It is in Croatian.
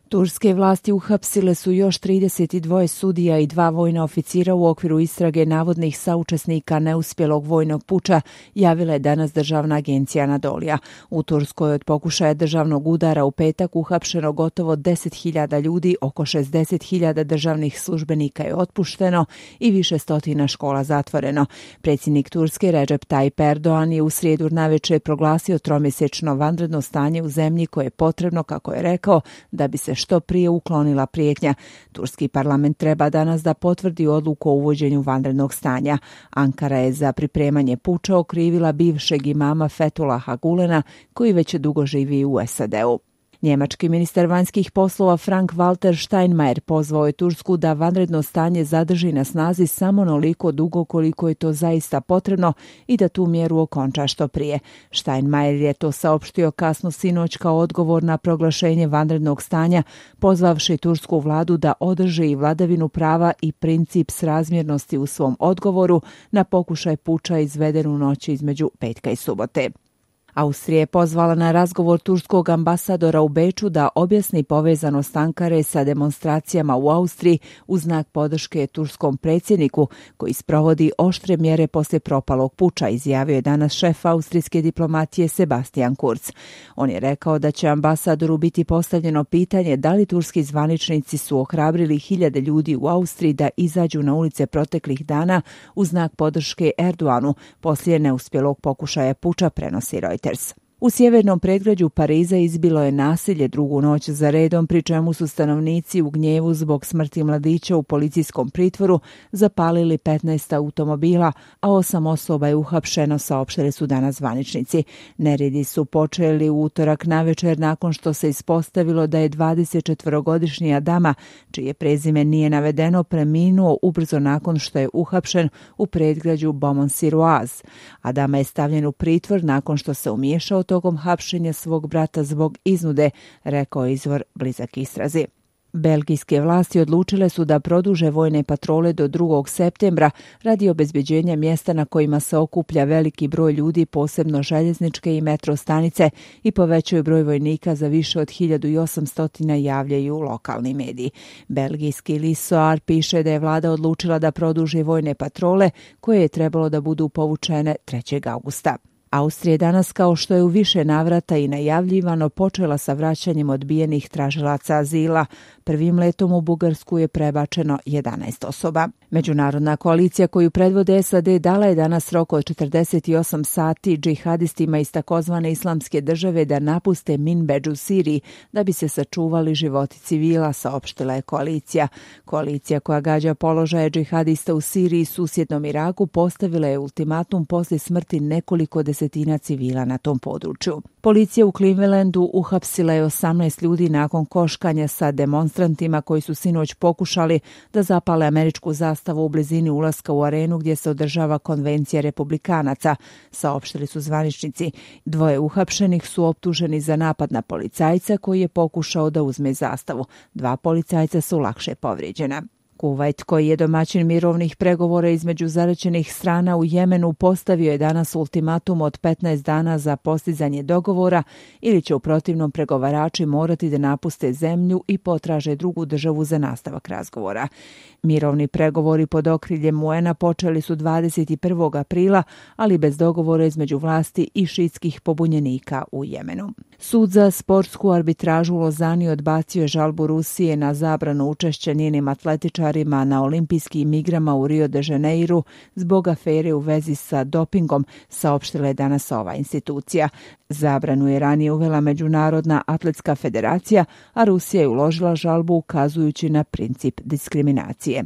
Turske vlasti uhapsile su još 32 sudija i 2 vojna oficira u okviru istrage navodnih saučesnika neuspjelog vojnog puča, javila je danas državna agencija Anadolija. U Turskoj od pokušaja državnog udara u petak uhapšeno gotovo 10.000 ljudi, oko 60.000 državnih službenika je otpušteno i više stotina škola zatvoreno. Predsjednik Turske Recep Tayyip Erdogan je u srijedu navečer proglasio tromjesečno vanredno stanje u zemlji koje je potrebno, kako je rekao, da bi se što prije uklonila prijetnja. Turski parlament treba danas da potvrdi odluku o uvođenju vanrednog stanja. Ankara je za pripremanje puča okrivila bivšeg imama Fethullaha Gulena, koji već dugo živi u SAD-u. Njemački ministar vanjskih poslova Frank-Walter Steinmeier pozvao je Tursku da vanredno stanje zadrži na snazi samo onoliko dugo koliko je to zaista potrebno i da tu mjeru okonča što prije. Steinmeier je to saopštio kasno sinoć kao odgovor na proglašenje vanrednog stanja, pozvavši tursku vladu da održi vladavinu prava i princip srazmjernosti u svom odgovoru na pokušaj puča izveden u noći između petka i subote. Austrija je pozvala na razgovor turskog ambasadora u Beču da objasni povezanost Ankare sa demonstracijama u Austriji u znak podrške turskom predsjedniku koji sprovodi oštre mjere poslije propalog puča, izjavio je danas šef austrijske diplomatije Sebastian Kurz. On je rekao da će ambasadoru biti postavljeno pitanje da li turski zvaničnici su ohrabrili hiljade ljudi u Austriji da izađu na ulice proteklih dana u znak podrške Erdoganu poslije neuspjelog pokušaja puča, prenosi Reuters. U sjevernom predgrađu Pariza izbilo je nasilje drugu noć za redom, pri čemu su stanovnici u gnjevu zbog smrti mladića u policijskom pritvoru zapalili 15 automobila, a 8 osoba je uhapšeno, saopštili su danas zvaničnici. Neredi su počeli u utorak navečer nakon što se ispostavilo da je 24-godišnji Adama, čije prezime nije navedeno, preminuo ubrzo nakon što je uhapšen u predgrađu Beaumont-sur-Oise. Adama je stavljen u pritvor nakon što se umiješao tokom hapšenja svog brata zbog iznude, rekao je izvor blizak istrazi. Belgijske vlasti odlučile su da produže vojne patrole do 2. septembra radi obezbeđenja mjesta na kojima se okuplja veliki broj ljudi, posebno željezničke i metro stanice, i povećaju broj vojnika za više od 1800, javljaju lokalni mediji. Belgijski list Soir piše da je vlada odlučila da produži vojne patrole koje je trebalo da budu povučene 3. augusta. Austrija je danas, kao što je u više navrata i najavljivano, počela sa vraćanjem odbijenih tražilaca azila. Prvim letom u Bugarsku je prebačeno 11 osoba. Međunarodna koalicija koju predvode SAD dala je danas rok od 48 sati džihadistima iz takozvane islamske države da napuste Minbedž u Siriji da bi se sačuvali životi civila, saopštila je koalicija. Koalicija koja gađa položaje džihadista u Siriji i susjednom Iraku postavila je ultimatum poslije smrti nekoliko desetina civila na tom području. Policija u Clevelandu uhapsila je 18 ljudi nakon koškanja sa demonstrantima koji su sinoć pokušali da zapale američku zastavu u blizini ulaska u arenu gdje se održava konvencija republikanaca, saopštili su zvaničnici. 2 uhapšenih su optuženi za napad na policajca koji je pokušao da uzme zastavu. 2 policajca su lakše povrijeđena. Kuvajt, koji je domaćin mirovnih pregovora između zaraćenih strana u Jemenu, postavio je danas ultimatum od 15 dana za postizanje dogovora ili će u protivnom pregovarači morati da napuste zemlju i potraže drugu državu za nastavak razgovora. Mirovni pregovori pod okriljem UN-a počeli su 21. aprila, ali bez dogovora između vlasti i šiitskih pobunjenika u Jemenu. Sud za sportsku arbitražu u Lozani odbacio je žalbu Rusije na zabranu učešća njenim atletičarima na olimpijskim igrama u Rio de Janeiru zbog afere u vezi sa dopingom, saopštila je danas ova institucija. Zabranu je ranije uvela Međunarodna atletska federacija, a Rusija je uložila žalbu ukazujući na princip diskriminacije.